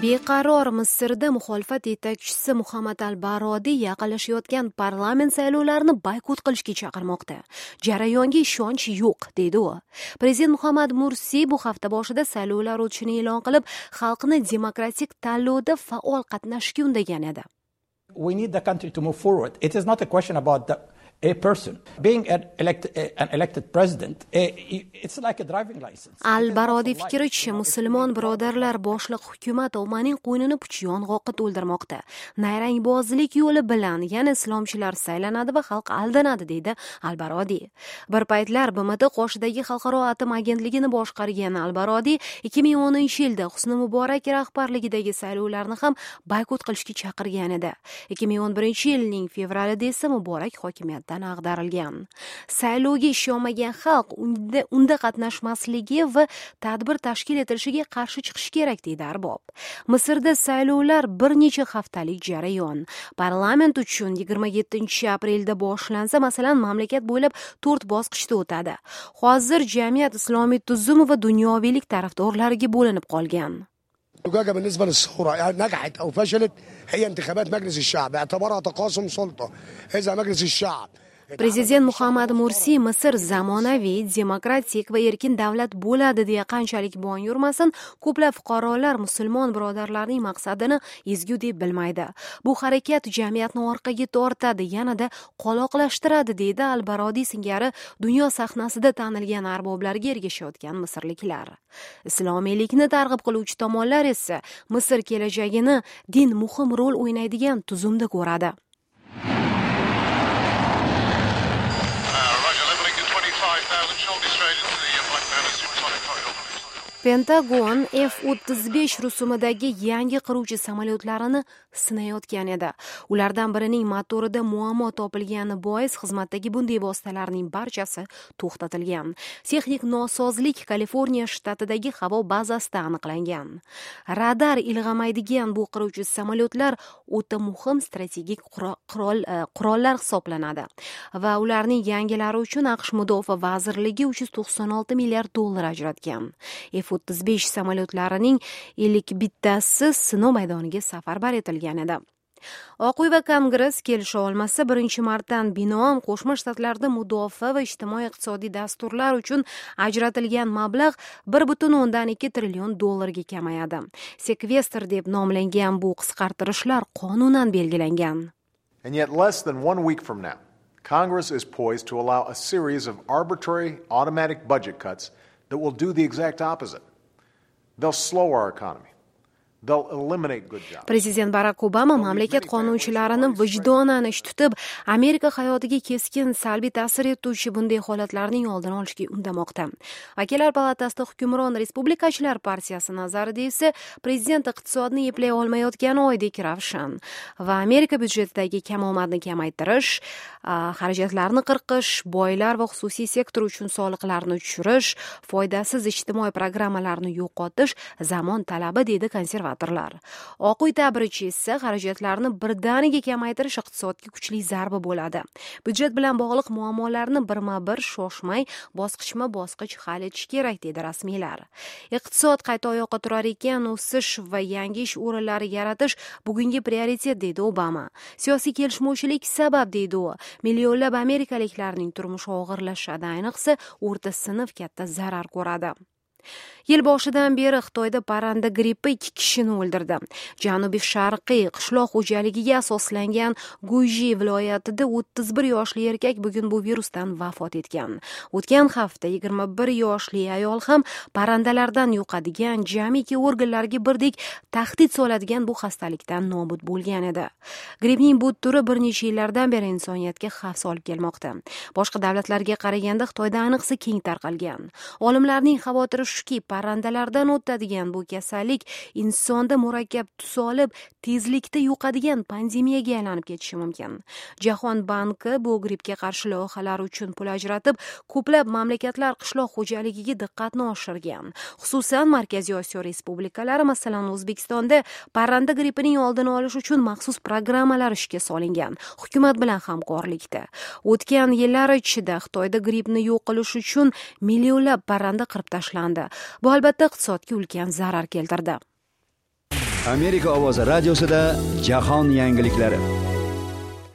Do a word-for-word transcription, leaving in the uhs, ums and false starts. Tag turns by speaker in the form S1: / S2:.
S1: Beqaror Misrda muxolifat yetakchisi Muhammad al-Barodiy yaqinlashayotgan parlament saylovlarini boykot qilishga chaqirmoqda. Jarayonga ishonch yo'q, deydi u. Prezident Muhammad Mursiy bu hafta boshida saylovlar o'tishini e'lon qilib, xalqni demokratik tanlovda faol qatnashishga undagan edi.
S2: We need the country to move forward. It is not a question about the a person being an elected, an elected president, it's like a driving license.
S1: Al-Barodiy fikricha, musulmon birodarlar boshliq hukumat ommaning qo'ynini puch yong'oqqa to'ldirmoqda. Nayrangbozlik yo'li bilan yana islomchilar saylanadi va xalq aldanadi, deydi Al-Barodiy. Bir paytlar B M T qoshidagi xalqaro atom agentligini boshqargan Al-Barodiy ikki ming o'ninchi yilda Husni Muborak rahbarligidagi saylovlarni ham boykot qilishga chaqirgan edi. ikki ming o'n birinchi yilning fevralida esa Muborak hokimiyatdan ag'darilgan. Saylovga ishonmagan xalq unda, unda qatnashmasligi va tadbir tashkil etilishiga qarshi chiqishi kerak, deydi arbob. Misrda saylovlar bir necha haftalik jarayon. Parlament uchun yigirma yettinchi aprelda boshlansa, masalan, mamlakat bo'ylab to'rt bosqichda o'tadi. Hozir jamiyat islomiy tuzum va dunyoviylik tarafdorlariga bo'linib qolgan.
S3: زجاجة بالنسبة للثورة يعني نجحت أو فشلت هي انتخابات مجلس الشعب اعتبرها تقاسم سلطة. إذا مجلس الشعب
S1: Prezident Muhammad Mursiy Misr zamonaviy, demokratik va erkin davlat bo'ladi deya qanchalik bong yurmasin, ko'plab fuqarolar musulmon birodarlarning maqsadini ezgu deb bilmaydi. Bu harakat jamiyatni orqaga tortadi, yanada qoloqlashtiradi, deydi Al-Barodiy singari dunyo sahnasida tanilgan arboblarga ergashayotgan misrliklar. Islomiylikni targ'ib qiluvchi tomonlar esa Misr kelajagini din muhim rol o'ynaydigan tuzumda ko'radi. Pentagon F o'ttiz besh rusumidagi yangi qiruvchi samolyotlarini sinayotgan edi. Ulardan birining motorida muammo topilgani bois xizmatdagi bunday vositalarning barchasi to'xtatilgan. Texnik nosozlik Kaliforniya shtatidagi havo bazasida aniqlangan. Radar ilg'amaydigan bu qiruvchi samolyotlar o'ta muhim strategik qurol, qurollar hisoblanadi va ularning yangilari uchun A Q Sh Mudofaa vazirligi uch yuz to'qson olti milliard dollar ajratgan. F o'ttiz besh samolyotlarining ellik bittasi sinov maydoniga safarbar etilgan edi. Oq uy va Kongress kelisha olmasa, birinchi martdan binoan Qo'shma Shtatlarda mudofaa va ijtimoiy-iqtisodiy dasturlar uchun ajratilgan mablag' bir butun o'ndan ikki trillion dollarga kamayadi. Sekvestr deb nomlangan bu qisqartirishlar qonunan belgilangan.
S4: And yet less than one week from now, Congress is poised to allow a series of arbitrary automatic budget cuts that will do the exact opposite. They'll slow our economy. They'll eliminate good jobs.
S1: Prezident Barak Obama mamlakat qonunchilarini vijdonan ish tutib, Amerika hayotiga keskin salbiy ta'sir etuvchi bunday holatlarning oldini olishga undamoqda. Vakillar palatasida hukmron Respublikachilar partiyasi nazarida esa prezident iqtisodni eplay olmayotgani oydek ravshan va Amerika byudjetidagi kamomadni kamaytirish, xarajatlarni qirqish, boylar va xususiy sektor uchun soliqlarni tushirish, foydasiz ijtimoiy programmalarni yo'qotish zamon talabi, deydi konservatorlar. Oq uy ta'biricha esa xarajatlarni birdaniga kamaytirish iqtisodga kuchli zarba bo'ladi. Byudjet bilan bog'liq muammolarni birma-bir shoshmay, bosqichma-bosqich hal etish kerak, deydi rasmiylar. Iqtisod qayta oyoqqa turar ekan, o'sish va yangi ish o'rinlari yaratish bugungi prioritet, deydi Obama. Siyosiy kelishmovchilik sabab, deydi u, millionlab amerikaliklarning turmushi og'irlashadi, ayniqsa o'rta sinf katta zarar ko'radi. Yil boshidan beri Xitoyda parranda grippi ikki kishini o'ldirdi. Janubiy sharqiy qishloq xo'jaligiga asoslangan Guiji viloyatida o'ttiz bir yoshli erkak bugun bu virusdan vafot etgan. O'tgan hafta yigirma bir yoshli ayol ham parrandalardan yuqadigan, jamiki organlarga birdek tahdid soladigan bu xastalikdan nobud bo'lgan edi. Grippning bu turi bir necha yillardan beri insoniyatga xavf solib kelmoqda. Boshqa davlatlarga qaraganda Xitoyda ayniqsa keng tarqalgan. Olimlarning xavotiri shuki, parrandalardan o'tadigan bu kasallik insonda murakkab tus olib, tezlikda yuqadigan pandemiyaga aylanib ketishi mumkin. Jahon banki bu grippga qarshi loyihalar uchun pul ajratib, ko'plab mamlakatlar qishloq xo'jaligiga diqqatni oshirgan. Xususan, Markaziy Osiyo respublikalari, masalan, O'zbekistonda parranda grippining oldini olish uchun maxsus programmalar ishga solingan, hukumat bilan hamkorlikda. O'tgan yillar ichida Xitoyda grippni yo'q qilish uchun millionlab parranda qirib tashlandi. Bu albatta iqtisodga ulkan zarar keltirdi.
S5: Amerika ovozi radiosida jahon yangiliklari.